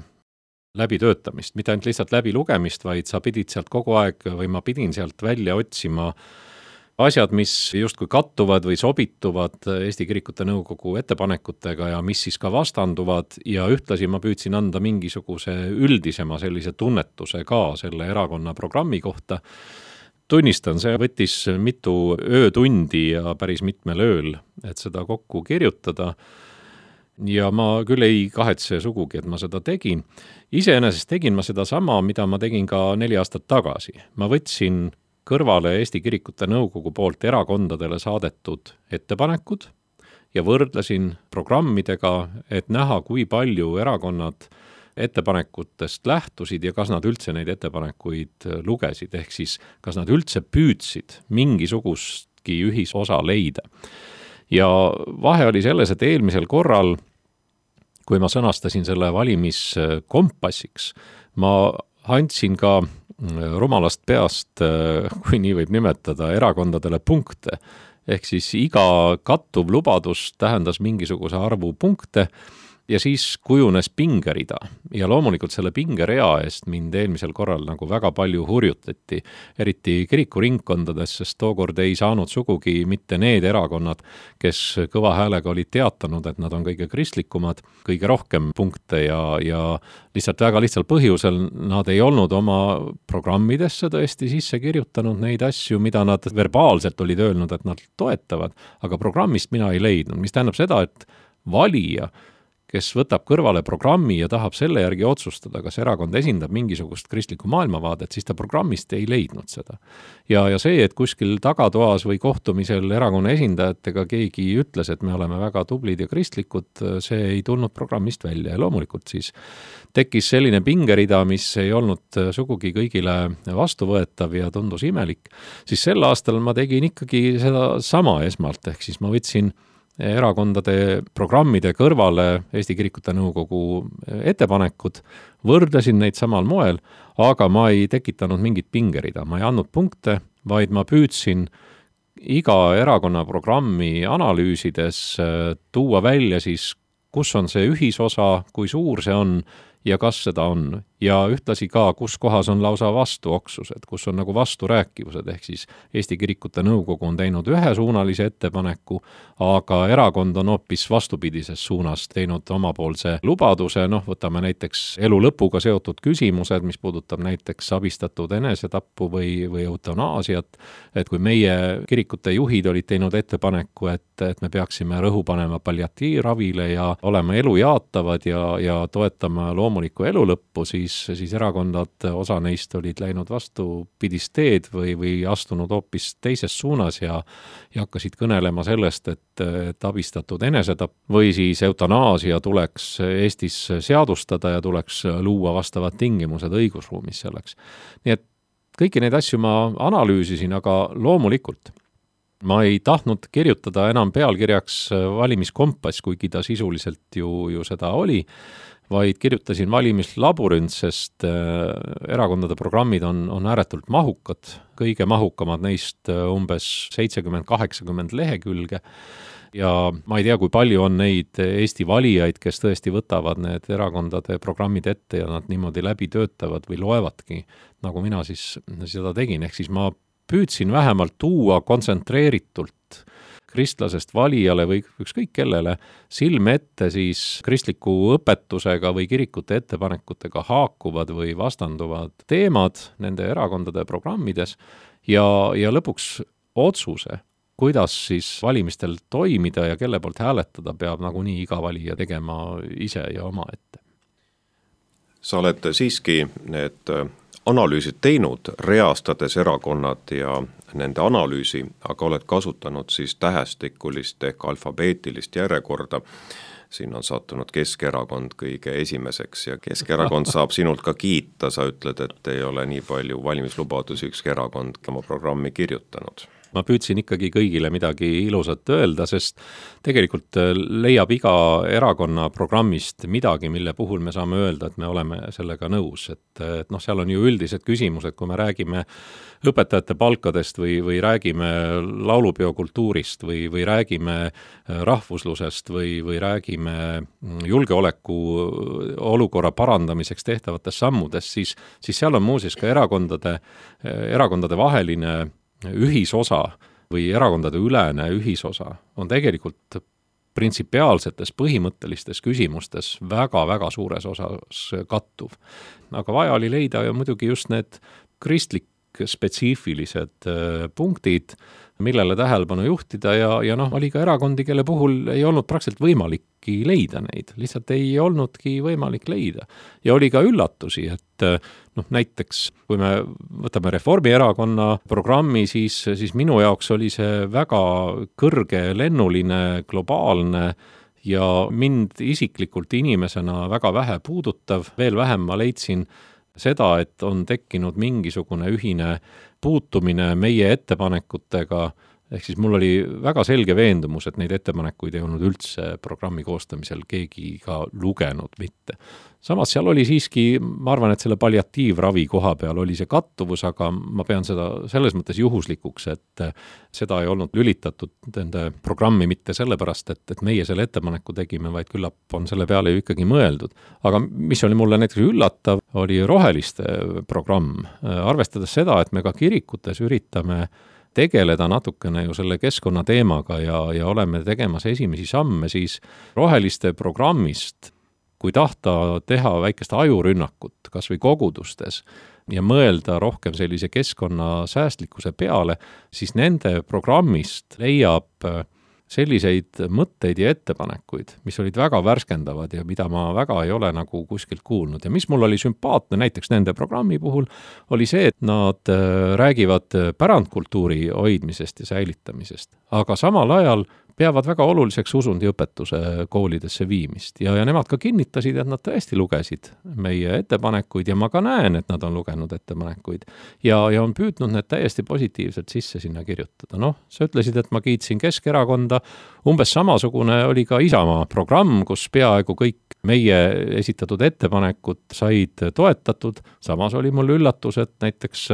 läbitöötamist, mitte ainult lihtsalt läbi lugemist, vaid sa pidid sealt kogu aeg või ma pidin sealt välja otsima asjad, mis justkui kattuvad või sobituvad Eesti Kirikute Nõukogu ettepanekutega ja mis siis ka vastanduvad ja ühtlasi ma püüdsin anda mingisuguse üldisema sellise tunnetuse ka selle erakonna programmi kohta. Tunnistan, see võttis mitu öötundi ja päris mitmel ööl, et seda kokku kirjutada. Ja ma küll ei kahetse sugugi, et ma seda tegin. Iseenesest tegin ma seda sama, mida ma tegin ka neli aastat tagasi. Ma võtsin kõrvale Eesti Kirikute Nõukogu poolt erakondadele saadetud ettepanekud ja võrdlesin programmidega, et näha, kui palju erakonnad ettepanekutest lähtusid ja kas nad üldse neid ettepanekuid lugesid, ehk siis kas nad üldse püüdsid mingisugustki ühisosa leida. Ja vahe oli selles, et eelmisel korral, kui ma sõnastasin selle valimiskompassiks, ma andsin ka rumalast peast, kui nii võib nimetada, erakondadele punkte. Ehk siis iga kattuv lubadus tähendas mingisuguse arvu punkte ja siis kujunes pingerida. Ja loomulikult selle pingerea eest mind eelmisel korral nagu väga palju hurjutati, eriti kirikuringkondades, sest tookord ei saanud sugugi mitte need erakonnad, kes kõva häälega olid teatanud, et nad on kõige kristlikumad, kõige rohkem punkte ja, ja lihtsalt väga lihtsal põhjusel nad ei olnud oma programmidesse tõesti sisse kirjutanud neid asju, mida nad verbaalselt olid öelnud, et nad toetavad, aga programmist mina ei leidnud, mis tähendab seda, et valija, kes võtab kõrvale programmi ja tahab selle järgi otsustada, kas erakond esindab mingisugust kristlikku maailmavaadet, siis ta programmist ei leidnud seda. Ja, ja see, et kuskil tagatoas või kohtumisel erakonna esindajatega keegi ütles, et me oleme väga tublid ja kristlikud, see ei tulnud programmist välja ja loomulikult siis tekkis selline pingerida, mis ei olnud sugugi kõigile vastuvõetav ja tundus imelik, siis sel aastal ma tegin ikkagi seda sama esmalt, ehk siis ma võtsin erakondade programmide kõrvale Eesti Kirikute Nõukogu ettepanekud, võrdlesin neid samal moel, aga ma ei tekitanud mingit pingerida, ma ei andnud punkte, vaid ma püüdsin iga erakonna programmi analüüsides tuua välja siis, kus on see ühisosa, kui suur see on ja kas seda on. Ja ühtlasi ka, kus kohas on lausa vastuoksused, kus on nagu vasturääkivused, ehk siis Eesti Kirikute Nõukogu on teinud ühesuunalise ettepaneku, aga erakond on hoopis vastupidises suunas teinud omapoolse lubaduse, noh, võtame näiteks elu lõpuga seotud küsimused, mis puudutab näiteks abistatud enesetappu või, või eutanaasiat, et kui meie kirikute juhid olid teinud ettepaneku, et, et me peaksime rõhu panema palliatiivravile ja olema elu jaatavad ja, ja toetama loomulikku elu lõppu, siis siis erakondad, osa neist olid läinud vastupidist teed või, või astunud hoopis teises suunas ja, ja hakkasid kõnelema sellest, et, et abistatud enesetapp või siis eutanaasia tuleks Eestis seadustada ja tuleks luua vastavad tingimused õigusruumis selleks. Nii et kõiki neid asju ma analüüsisin, aga loomulikult ma ei tahtnud kirjutada enam pealkirjaks valimiskompass, kuigi ta sisuliselt ju, ju seda oli, vaid kirjutasin valimislabürint, sest erakondade programmid on, on ääretult mahukad, kõige mahukamad neist umbes seitsekümmend kaheksakümmend lehekülge. Ja ma ei tea, kui palju on neid Eesti valijaid, kes tõesti võtavad need erakondade programmid ette ja nad niimoodi läbi töötavad või loevadki, nagu mina siis seda tegin. Ehk siis ma püüdsin vähemalt tuua kontsentreeritult kristlasest valijale või ükskõik kellele silme ette siis kristliku õpetusega või kirikute ettepanekutega haakuvad või vastanduvad teemad nende erakondade programmides ja, ja lõpuks otsuse, kuidas siis valimistel toimida ja kelle poolt hääletada, peab nagunii iga valija tegema ise ja oma ette. Sa oled siiski need analüüsid teinud, reastades erakonnad ja nende analüüsi, aga oled kasutanud siis tähestikulist ehk alfabeetilist järjekorda. Siin on sattunud Keskerakond kõige esimeseks ja Keskerakond saab sinult ka kiita, sa ütled, et ei ole nii palju valimislubadusi ükski erakond oma programmi kirjutanud. Ma püüdsin ikkagi kõigile midagi ilusat öelda, sest tegelikult leiab iga erakonna programmist midagi, mille puhul me saame öelda, et me oleme sellega nõus. Et, et noh, seal on ju üldised küsimused, kui me räägime õpetajate palkadest või, või räägime laulupeo kultuurist või, või räägime rahvuslusest või, või räägime julgeoleku olukorra parandamiseks tehtavatest sammudest, siis, siis seal on muuseas ka erakondade, erakondade vaheline ühisosa või erakondade ülene ühisosa on tegelikult printsipiaalsetes põhimõttelistes küsimustes väga-väga suures osas kattuv. Aga vaja oli leida ja muidugi just need kristlik spetsiifilised punktid, millele tähelepanu juhtida ja, ja noh, oli ka erakondi, kelle puhul ei olnud praktiliselt võimalikki leida neid, lihtsalt ei olnudki võimalik leida. Ja oli ka üllatusi, et noh, näiteks kui me võtame Reformierakonna programmi, siis, siis minu jaoks oli see väga kõrge, lennuline, globaalne ja mind isiklikult inimesena väga vähe puudutav, veel vähem ma leidsin seda, et on tekkinud mingisugune ühine puutumine meie ettepanekutega, ehk siis mul oli väga selge veendumus, et neid ettepanekuid ei olnud üldse programmi koostamisel keegi ka lugenud mitte. Samas seal oli siiski, ma arvan, et selle palliatiivravi koha peal oli see kattuvus, aga ma pean seda selles mõttes juhuslikuks, et seda ei olnud lülitatud nende programmi mitte sellepärast, et, et meie selle ettepaneku tegime, vaid küllap on selle peale ju ikkagi mõeldud. Aga mis oli mulle näiteks üllatav, oli roheliste programm. Arvestades seda, et me ka kirikutes üritame tegeleda natukene ju selle keskkonna teemaga ja, ja oleme tegemas esimesi samme, siis roheliste programmist, kui tahta teha väikest ajurünnakut kas või kogudustes ja mõelda rohkem sellise keskkonna säästlikkuse peale, siis nende programmist leiab selliseid mõtteid ja ettepanekuid, mis olid väga värskendavad ja mida ma väga ei ole nagu kuskilt kuulnud. Ja mis mul oli sümpaatne näiteks nende programmi puhul, oli see, et nad räägivad pärandkultuuri hoidmisest ja säilitamisest, aga samal ajal peavad väga oluliseks usundiõpetuse koolidesse viimist. Ja, ja nemad ka kinnitasid, et nad tõesti lugesid meie ettepanekuid ja ma ka näen, et nad on lugenud ettepanekuid ja, ja on püüdnud need täiesti positiivselt sisse sinna kirjutada. Noh, sa ütlesid, et ma kiitsin Keskerakonda, umbes samasugune oli ka Isamaa programm, kus peaaegu kõik meie esitatud ettepanekud said toetatud. Samas oli mul üllatus, et näiteks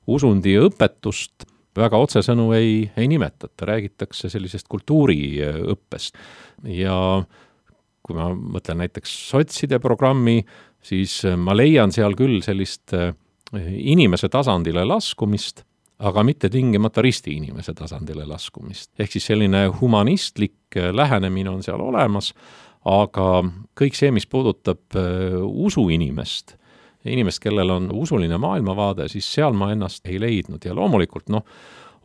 usundiõpetust väga otsesõnu ei, ei nimetata, räägitakse sellisest kultuuriõppest. Ja kui ma mõtlen näiteks sotside programmi, siis ma leian seal küll sellist inimese tasandile laskumist, aga mitte tingimata risti inimese tasandile laskumist. Ehk siis selline humanistlik lähenemine on seal olemas, aga kõik see, mis puudutab usu inimest, inimest, kellel on usuline maailmavaade, siis seal ma ennast ei leidnud. Ja loomulikult noh,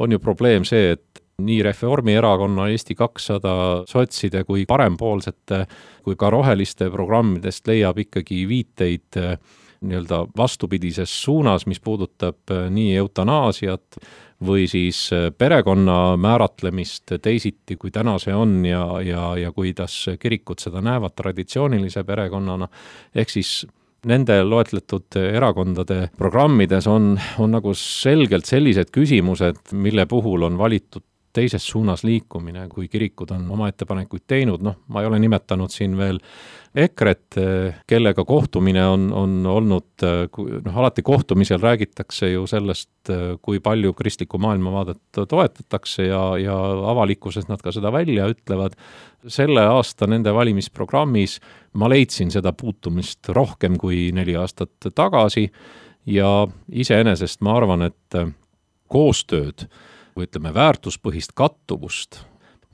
on ju probleem see, et nii Reformierakonna, Eesti kakssada, sotside kui parempoolsete kui ka roheliste programmidest leiab ikkagi viiteid nii-öelda vastupidises suunas, mis puudutab nii eutanaasiat või siis perekonna määratlemist teisiti, kui täna see on ja, ja, ja kuidas kirikud seda näevad traditsioonilise perekonnana. Ehk siis nende loetletud erakondade programmides on, on nagu selgelt sellised küsimused, mille puhul on valitud teises suunas liikumine, kui kirikud on oma ettepanekuid teinud, noh, ma ei ole nimetanud siin veel EKRE-t, kellega kohtumine on, on olnud, noh, alati kohtumisel räägitakse ju sellest, kui palju kristlikku maailmavaadet toetatakse ja, ja avalikkuses nad ka seda välja ütlevad. Selle aasta nende valimisprogrammis ma leidsin seda puutumist rohkem kui neli aastat tagasi ja iseenesest ma arvan, et koostööd või ütleme väärtuspõhist kattuvust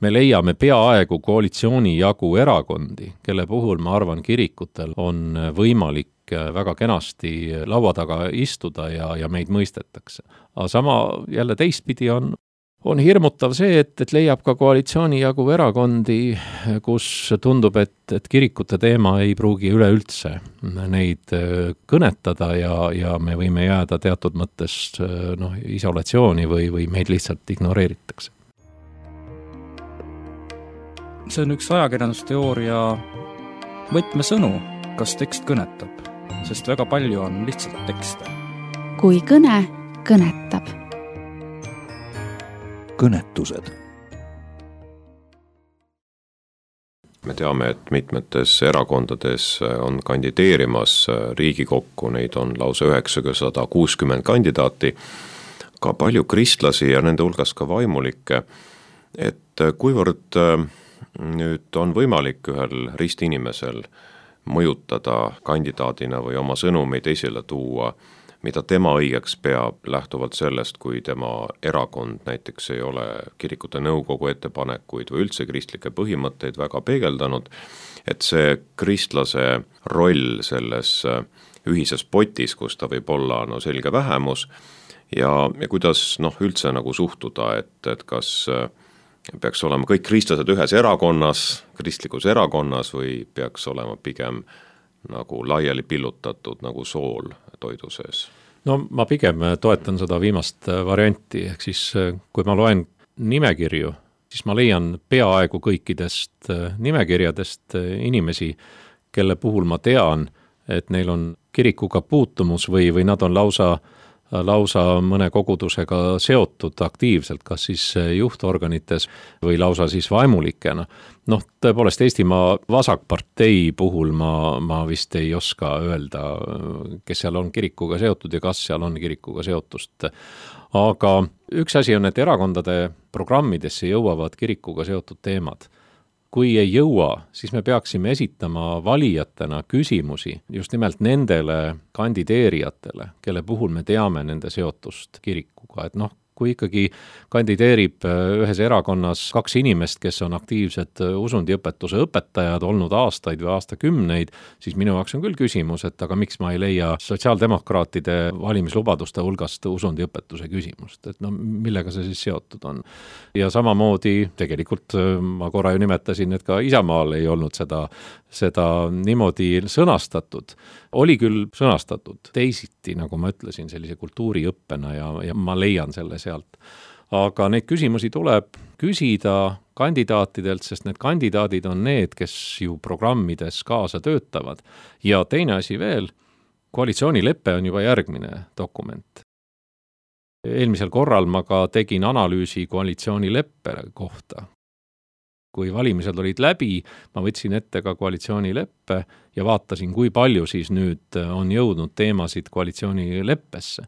me leiame peaaegu koalitsiooni jagu erakondi, kelle puhul ma arvan kirikutel on võimalik väga kenasti laua taga istuda ja, ja meid mõistetakse. Aga sama jälle teistpidi on, on hirmutav see, et, et leiab ka koalitsiooni jagu erakondi, kus tundub, et, et kirikute teema ei pruugi üleüldse neid kõnetada ja, ja me võime jääda teatud mõttes noh, isolatsiooni või, või meid lihtsalt ignoreeritakse. See on üks ajakirjandusteooria võtmesõnu, kas tekst kõnetab, sest väga palju on lihtsalt tekste. Kui kõne kõnetab. Kõnetused. Me teame, et mitmetes erakondades on kandideerimas Riigikokku, neid on lausa üheksasada kuuskümmend kandidaati, ka palju kristlasi ja nende hulgas ka vaimulikke, et kuivõrd nüüd on võimalik ühel ristinimesel mõjutada kandidaadina või oma sõnumeid esile tuua, mida tema õigeks peab lähtuvalt sellest, kui tema erakond näiteks ei ole kirikute nõukogu ettepanekuid või üldse kristlikke põhimõtteid väga peegeldanud, et see kristlase roll selles ühises potis, kus ta võib olla no, selge vähemus ja, ja kuidas noh, üldse nagu suhtuda, et, et kas peaks olema kõik kristlased ühes erakonnas, kristlikus erakonnas või peaks olema pigem nagu laiali pillutatud nagu sool toidu sees? No ma pigem toetan seda viimast varianti, ehk siis kui ma loen nimekirju, siis ma leian peaaegu kõikidest nimekirjadest inimesi, kelle puhul ma tean, et neil on kirikuga puutumus või, või nad on lausa lausa mõne kogudusega seotud aktiivselt, kas siis juhtorganites või lausa siis vaimulikena. Noh, tõepoolest Eestimaa vasakpartei puhul ma, ma vist ei oska öelda, kes seal on kirikuga seotud ja kas seal on kirikuga seotust. Aga üks asi on, et erakondade programmidesse jõuavad kirikuga seotud teemad. Kui ei jõua, siis me peaksime esitama valijatena küsimusi just nimelt nendele kandideerijatele, kelle puhul me teame nende seotust kirikuga. Et noh, kui ikkagi kandideerib ühes erakonnas kaks inimest, kes on aktiivsed usundiõpetuse õpetajad olnud aastaid või aastakümneid, siis minu jaoks on küll küsimus, et aga miks ma ei leia sotsiaaldemokraatide valimislubaduste hulgast usundiõpetuse küsimust, et no millega see siis seotud on. Ja samamoodi tegelikult ma korra ju nimetasin, et ka Isamaal ei olnud seda, seda niimoodi sõnastatud. Oli küll sõnastatud teisiti, nagu ma ütlesin, sellise kultuuriõppena ja, ja ma leian selle sealt. Aga neid küsimusi tuleb küsida kandidaatidelt, sest need kandidaadid on need, kes ju programmides kaasa töötavad. Ja teine asi veel, koalitsioonilepe on juba järgmine dokument. Eelmisel korral ma ka tegin analüüsi koalitsioonileppe kohta. Kui valimised olid läbi, ma võtsin ette ka koalitsioonileppe ja vaatasin, kui palju siis nüüd on jõudnud teemasid koalitsioonileppesse.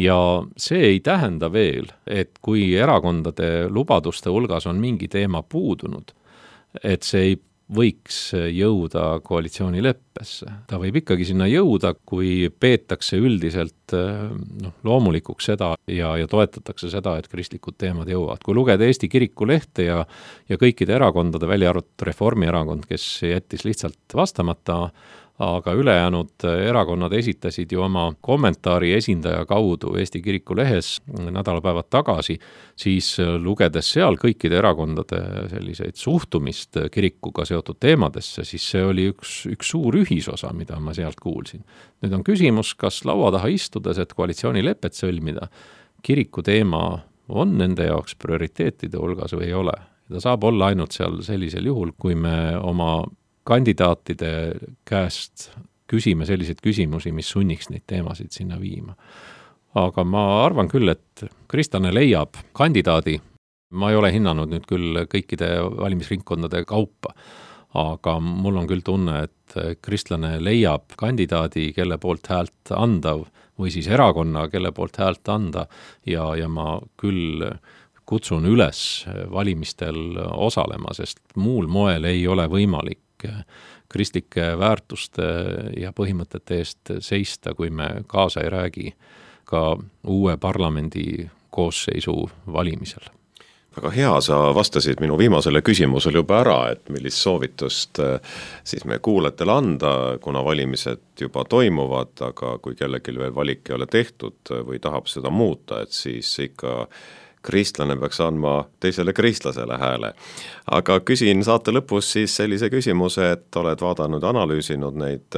Ja see ei tähenda veel, et kui erakondade lubaduste hulgas on mingi teema puudunud, et see ei võiks jõuda koalitsioonileppesse. Ta võib ikkagi sinna jõuda, kui peetakse üldiselt noh, loomulikuks seda ja, ja toetatakse seda, et kristlikud teemad jõuavad. Kui lugeda Eesti kiriku lehte ja, ja kõikide erakondade, välja arvatud Reformierakond, kes jättis lihtsalt vastamata, aga ülejäänud erakonnad esitasid ju oma kommentaari esindaja kaudu Eesti kiriku lehes nädalapäevad tagasi, siis lugedes seal kõikide erakondade selliseid suhtumist kirikuga seotud teemadesse, siis see oli üks, üks suur ühisosa, mida ma sealt kuulsin. Nüüd on küsimus, kas laua taha istudes, et koalitsioonilepet sõlmida, kiriku teema on nende jaoks prioriteetide hulgas või ei ole. Ta saab olla ainult seal sellisel juhul, kui me oma kandidaatide käest küsime selliseid küsimusi, mis sunniks neid teemasid sinna viima. Aga ma arvan küll, et kristlane leiab kandidaadi, ma ei ole hinnanud nüüd küll kõikide valimisringkondade kaupa, aga mul on küll tunne, et kristlane leiab kandidaadi, kelle poolt häält anda või siis erakonna, kelle poolt häält anda ja, ja ma küll kutsun üles valimistel osalema, sest muul moel ei ole võimalik kristlike väärtuste ja põhimõtete eest seista, kui me kaasa ei räägi ka uue parlamendi koosseisu valimisel. Väga hea, sa vastasid minu viimasele küsimusele juba ära, et millist soovitust siis me kuulajatele anda, kuna valimised juba toimuvad, aga kui kellelgi veel valik ei ole tehtud või tahab seda muuta, et siis ikka kristlane peaks andma teisele kristlasele hääle. Aga küsin saate lõpus siis sellise küsimuse, et oled vaadanud, analüüsinud neid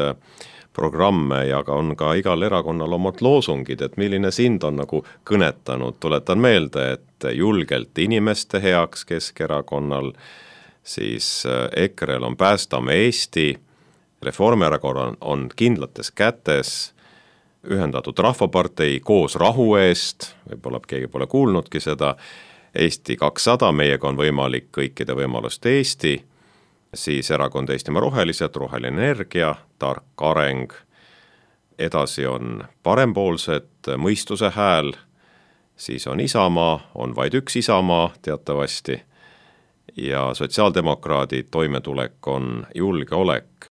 programme ja ka on ka igal erakonnal omad loosungid, et milline sind on nagu kõnetanud. Tuletan meelde, et julgelt inimeste heaks Keskerakonnal, siis E K R-l on Päästame Eesti, Reformierakonnal on kindlates kätes, Ühendatud Rahvapartei Koos rahu eest, võib-olla keegi pole kuulnudki seda, Eesti kakssada, meiega on võimalik kõikide võimaluste Eesti, siis erakond Eestimaa Rohelised, Roheline Energia, Tark areng, edasi on parempoolsed, Mõistuse hääl, siis on Isamaa, on vaid üks Isamaa teatavasti ja sotsiaaldemokraadid, toimetulek on julgeolek.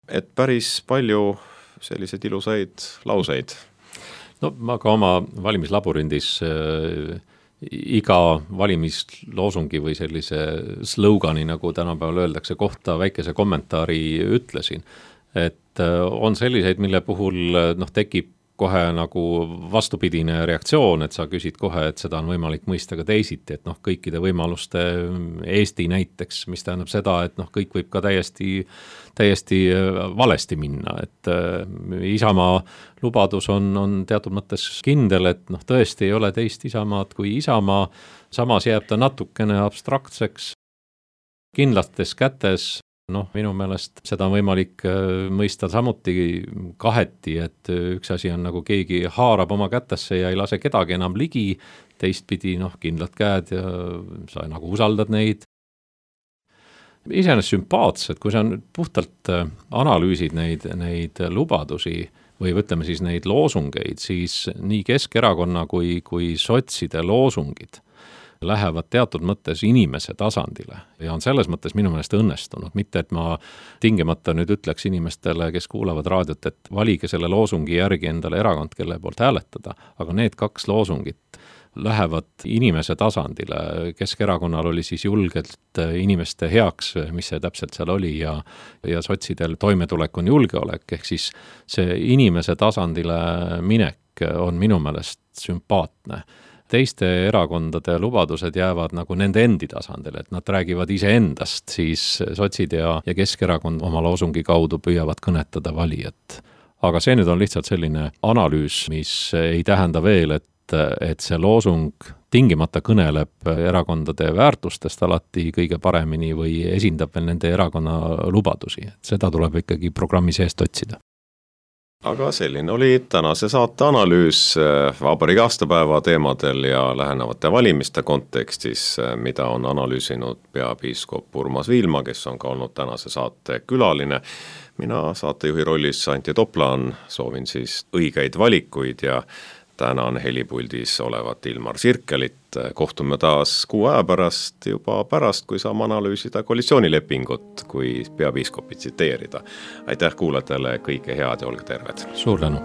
Et päris palju sellised ilusaid lauseid. No ma ka oma valimislaborindis äh, iga valimisloosungi või sellise slogani, nagu tänapäeval öeldakse, kohta väikese kommentaari ütlesin. Et äh, on selliseid, mille puhul noh, tekib kohe nagu vastupidine reaktsioon, et sa küsid kohe, et seda on võimalik mõista ka teisiti, et noh, kõikide võimaluste Eesti näiteks, mis tähendab seda, et noh, kõik võib ka täiesti, täiesti valesti minna, et äh, Isamaa lubadus on, on teatud mõttes kindel, et noh, tõesti ei ole teist Isamaad kui Isamaa, samas jääb ta natukene abstraktseks, kindlates kätes. Noh, minu meelest seda on võimalik mõista samuti kaheti, et üks asi on nagu keegi haarab oma kätesse ja ei lase kedagi enam ligi, teistpidi noh, kindlad käed ja sa nagu usaldad neid. Iseenesest sümpaatsed, kui sa puhtalt analüüsid neid, neid lubadusi või ütleme siis neid loosungeid, siis nii Keskerakonna kui, kui sotside loosungid lähevad teatud mõttes inimese tasandile ja on selles mõttes minu meelest õnnestunud. Mitte, et ma tingimata nüüd ütleks inimestele, kes kuulavad raadiot, et valige selle loosungi järgi endale erakond, kelle poolt hääletada, aga need kaks loosungit lähevad inimese tasandile. Keskerakonnal oli siis julgelt inimeste heaks, mis see täpselt seal oli ja, ja sotsidel toimetulek on julgeolek, ehk siis see inimese tasandile minek on minu meelest sümpaatne. Teiste erakondade lubadused jäävad nagu nende endi tasandile, et nad räägivad iseendast, siis sotsid ja, ja Keskerakond oma loosungi kaudu püüavad kõnetada valijat. Aga see nüüd on lihtsalt selline analüüs, mis ei tähenda veel, et, et see loosung tingimata kõneleb erakondade väärtustest alati kõige paremini või esindab veel nende erakonna lubadusi. Seda tuleb ikkagi programmi seest otsida. Aga selline oli tänase saate analüüs vabariigi aastapäeva teemadel ja lähenevate valimiste kontekstis, mida on analüüsinud peapiiskop Urmas Viilma, kes on ka olnud tänase saate külaline. Mina saatejuhi rollis Anti Toplaan soovin siis õigeid valikuid ja tänan helipuldis olevat Ilmar Sirkelit. Kohtume taas kuu aja pärast, juba pärast, kui saame analüüsida koalitsioonilepingut, kui peapiiskopit tsiteerida. Aitäh kuulajatele, kõike head ja olge terved. Suur tänu.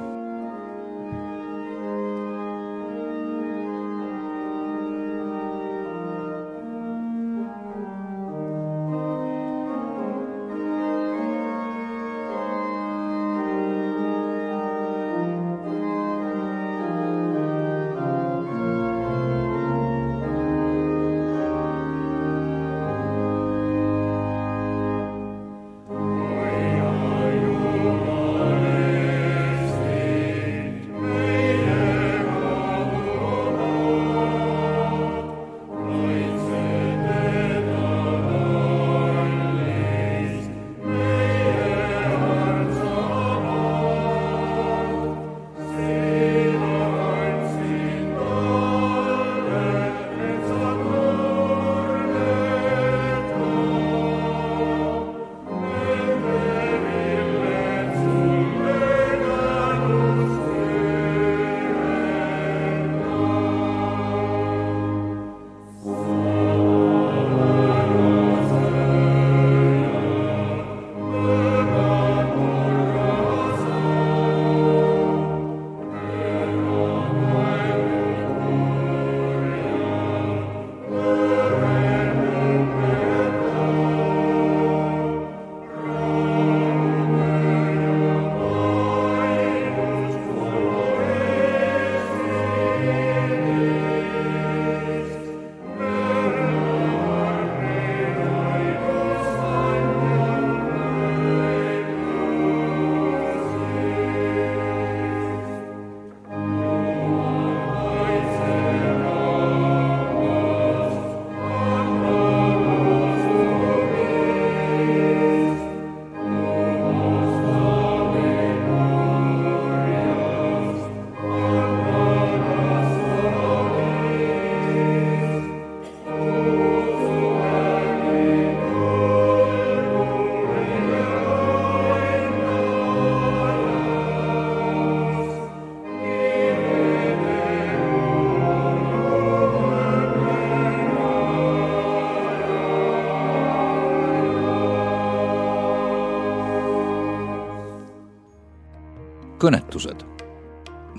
kõnetused.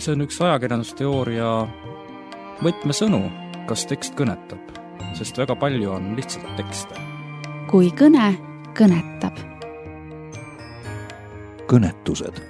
see on üks ajakirjandusteooria võtmesõnu, kas tekst kõnetab, sest väga palju on lihtsalt tekste. kui kõne kõnetab. kõnetused